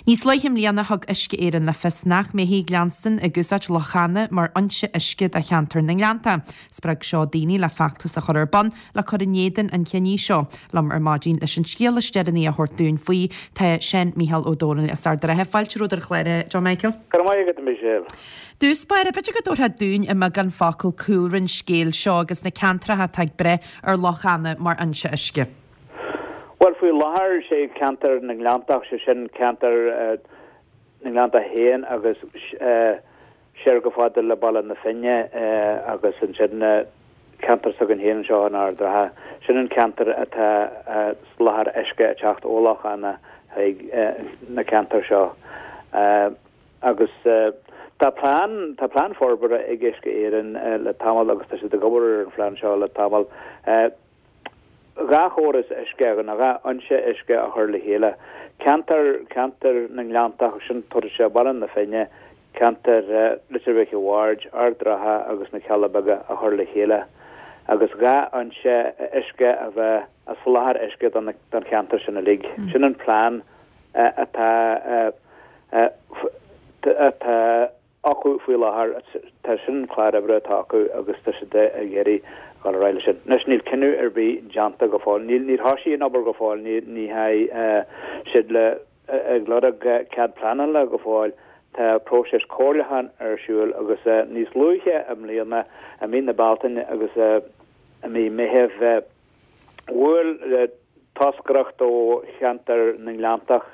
Níos luaithe i mbliana thug Uisce Éireann le fios nach mbeifí ag leanstan ag úsáid Loch Eanna mar fhoinse uisce do cheantar na nGleannta. Spreag seo daoine le feachtas a chur ar bun le cur in éadan an chinnidh seo. Liom ar maidin leis an scéal is deireanaí a thabhairt dúinn faoi tá Seán Micheál Ó Domhnaill as Ard an Rátha. Fáilte romhat ar an chlár, a John Michael. Go raibh maith agat, a Michelle. Dtús báire, b'fhéidir go dtabharfá dúinn i mbeagán focal cúlra an scéil seo agus na ceantracha atá ag brath ar Loch Eanna mar fhoinse uisce. Bhuel, faoi láthair, sé ceantar na nGleanntach, sé sin ceantar na nGleanntach féin agus siar chomh fada le Baile na Finne agus ansin ceantar s'againn féin anseo in Ard an Rátha. Sin an ceantar atá soláthar uisce ag teacht ó Loch Eanna chuig na ceantair seo. Agus tá plean, tá plean forbartha ag Uisce Éireann le tamall agus tá siad ag obair ar an phlean seo le tamall. 2 chóras uisce, nó 2 fhoinse uisce a chur le chéile. Ceantar, ceantar na nGleanntach, sin tabharfaidh sé Baile na Finne, ceantar Leitir Mhic a' Bhaird, Ard an Rátha agus na Cealla Beaga a chur le chéile agus 2 fhoinse uisce a bheith ag soláthar uisce don cheantar sin uilig. Sin an plean atá atá acu faoi láthair. Tá sin an clár oibre atá acu agus tá siad ag iarraidh dul ar aghaidh leis sin. Anois níl cinneadh ar bith déanta go fóill. Níl, níor thosaigh an obair go fóill, ní, ní theachaigh siad le, ag lorg cead pleanála go fóill. Tá próiseas comhairliúcháin ar siúl agus níos luaithe i mbliana, i mí na Bealtaine agus i mí Meithimh, Bhuail toscaireacht ó cheantar na nGleanntach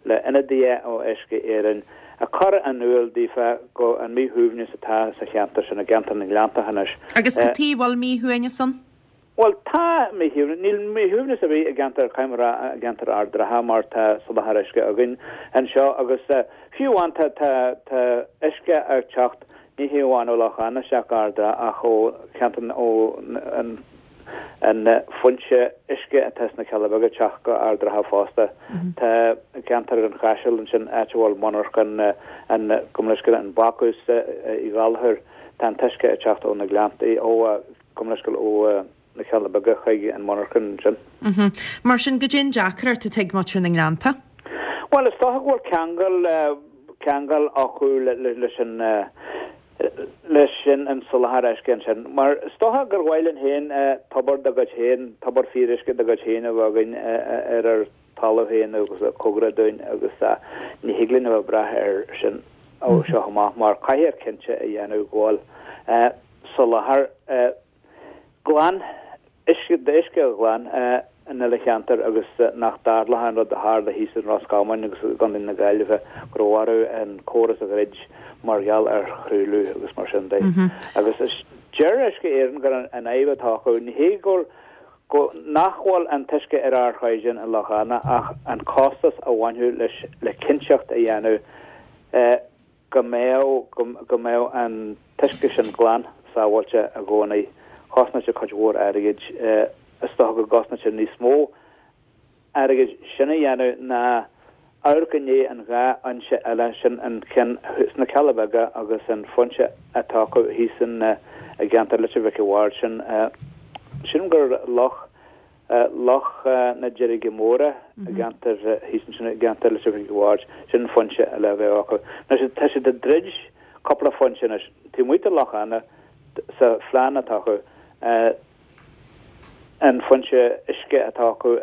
le ionadaithe ó Uisce Éireann ag cur in iúl daofa go an míshuaimhneas atá sa cheantar sin, i gceantar na nGleanntach anois. Agus cad chuige a bhfuil míshuaimhneas ann? Bhuel, tá míshuaimhneas, níl míshuaimhneas ar bith i gceantar, caithfidh mé a rá, i gceantar Ard an Rátha mar tá soláthar uisce againn anseo agus fiú amháin tá, tá, tá uisce ag teacht ní hé amháin ó Loch Eanna isteach go Ard an Rátha ach ó cheantar, ó an an foinse uisce atá sna Cealla Beaga ag teacht go Ard an Rátha fosta. Tá ceantar an Chaisil ansin, áit a bhfuil monarchan an, gabh mo leithscéal, an bácús Uí Ghallchóir, tá an t-uisce ag teacht ó na Gleanntaí, ó, gabh mo leithscéal, ó na Cealla Beaga chuig an monarchan ansin. Mar sin, goidé an deacracht atá ag muintir na nGleannta? Bhuel, is dócha go bhfuil ceangal, ceangal acu leis an, leis sin an soláthar uisce ansin. Mar is dócha gur mhaith linn féin tobar dár gcuid féin, tobar fíoruisce dár gcuid féin a bheith againn ar ár dtalamh féin agus cóngarach dúinn agus ní thig linn a bheith ag brath air sin ó seo amach mar caithfear cinnte a dhéanamh go bhfuil soláthar glan, uisce, d'uisce ghlan an uile cheantar agus nach dtarlódh an rud a tharla thíos in Ros Comáin agus i gContae na Gaillimhe go raibh orthu an córas a dhruid mar gheall ar thruailliú agus mar sin de. Agus deir Uisce Éireann gur an fhadhb atá acu, ní hé go go nach bhfuil an t-uisce ar ardchaighdeán i Loch Eanna ach an costas a bhainfeadh leis le cinnteacht a dhéanamh go mbeadh, go mbeadh an t-uisce sin glan, sábháilte i gcónaí. Chosnódh sé cuid mhór airgid. Is dócha go gcosnódh sé níos mó airgid sin a dhéanamh ná amharc i ndiaidh an dá fhoinse eile sin, an ceann sna Cealla Beaga agus an foinse atá acu thíos in, i gceantar Leitir Mhic a' Bhaird. Sin, sin gur loch Loch na Deirge Móire i gceantar thíos ansin i gceantar Leitir Mhic a' Bhaird, sin an foinse eile a bheadh acu. Anois tá siad ag druid cúpla foinse anois taobh amuigh de Loch Eanna sa phlean atá acu, an foinse uisce atá acu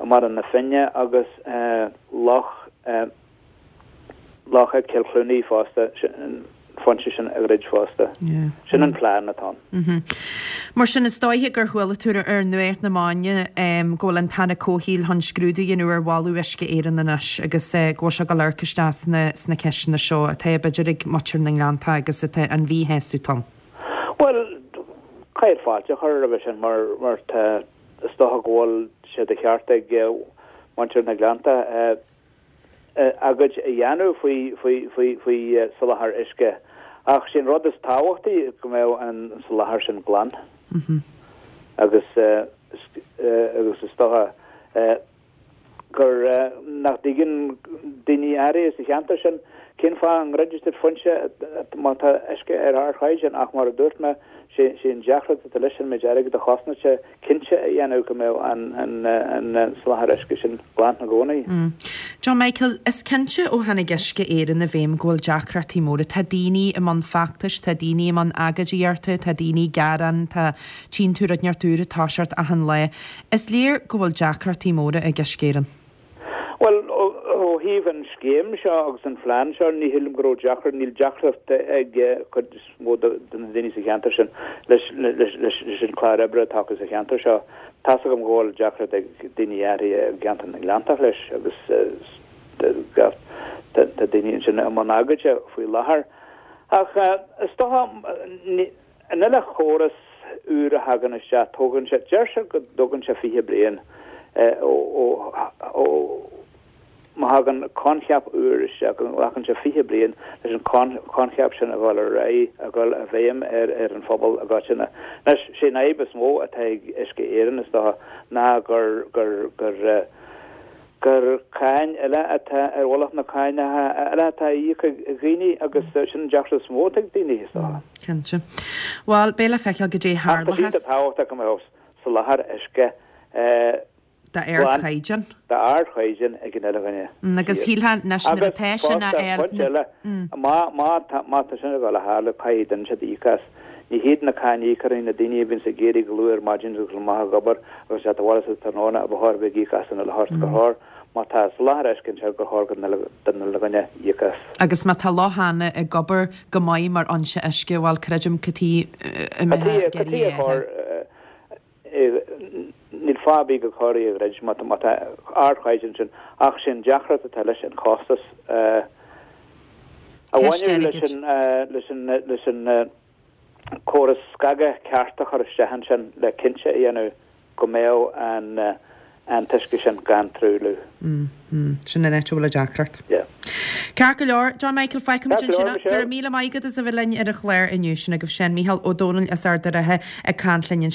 i mBaile na Finne agus Loch Loch ag Cill Chluanaí fosta, an foinse sin a dhruid fosta. Sin an plean atá ann. Mar sin, is dóiche gur chuala tú ar nuacht na maidine go bhfuil an tAire Comhshaoil chun scrúdú a dhéanamh ar mholadh Uisce Éireann anois agus go bhfuil sé ag dul amharc isteach sna ceisteanna seo atá b'fhéidir ag muintir na nGleannta agus atá an mhíshásamh ann. Bhuel, caithfear fáilte a chur roimhe sin mar mar tá, is dócha go bhfuil sé de cheart ag muintir na nGleannta. agóid a dhéanamh faoi soláthar uisce ach sé an rud is tábhachtaí go mbeadh an soláthar sin glan agus agus is dócha gur nach dtuigeann daoine áirithe sa cheantar sin. Cén fáth a ndruidfidh siad foinse má tá uisce ar ardchaighdeán? Ach mar a dúirt mé, sé an deacracht atá leis an méid airgid a chosnaíonn sé cinnte a dhéanamh go mbeadh an soláthar uisce sin glan i gcónaí. John Michael, is cinnte ó tháinig Uisce Éireann i bhfeidhm go bhfuil deacrachtaí móra. Tá daoine i mbun feachtais, tá daoine i mbun agóidíochta, tá daoine ag gearán, tá, tchíonn tú rud inteacht úr ag toiseacht achan lá. Is léir go bhfuil deacrachtaí móra ag Uisce Éireann. Bhuel, ó thaobh an scéim seo agus an phlean seo, ní shílim go raibh deacracht, níl deacracht ag cuid is mó de na daoine sa cheantar sin leis an chlár oibre atá acu sa cheantar seo. Tá's agam go bhfuil deacracht ag daoine áirithe i gceantar na nGleanntach leis agus tá daoine ansin i mbun agóide faoi láthair. Ach is dócha, An uile chóras úr a thagann isteach, tógann sé, deir siad go dtógann sé 20 bliain ó ó má thagann coincheap úr isteach, go nglacann sé 20 bliain leis an choincheap sin a dhul ar aghaidh, a dhul i bhfeidhm ar ar an phobal i gcoitinne. Anois, sé an fhadhb is mó atá ag Uisce Éireann, is dócha, ná gur gur gur gur cáin eile atá ar mhullach na cánacha eile atá á íoc ag dhaoine agus sin an deacracht is mó atá ag daoine, is dócha. Cinnte. Bhuel, beidh le feiceáil goidé Ach tá sé tharlóchas. tábhachtach go mbeadh soláthar uisce D'ardchaighdeán. D'ardchaighdeán ag an uile dhuine. Agus shílfeá anois nuair atá sin á fháil. Agus fosta, pointe eile, má tá sin ag dul a tharlú, caithfidh duine inteacht íoc as. Ní hiad na cáiníocóirí, na daoine a bhíonns ag éirí go luath ar maidin agus dul amach ag obair agus teacht abhaile sa tráthnóna a ba chóir a bheith ag íoc as an uile shórt, gur chóir, má tá soláthar uisce anseo, gur chóir don uile dhuine íoc as. Agus má tá lochanna ag obair go maith mar fhoinse uisce, bhuel, creidim cad chuige a mbeifeá ag iarraidh é a athrú. Níl fáth ar bith gur chóir é a dhruid má tá ardchaighdeán ansin ach sé an deacracht atá leis an chostas a bhaineann leis an leis an córas scagadh ceart a chur isteach ansin le cinnte a dhéanamh go mbeadh an an t-uisce sin gan truailliú. Sin an áit a bhfuil an deacracht. Yeah. Ceart go leor, John Michael, fágfaimid ansin é. Go raibh míle maith agat as a bheith linn ar an chlár inniu. Sin agaibh sin Mícheál Ó Domhnaill as Ard an Rátha ag caint linn.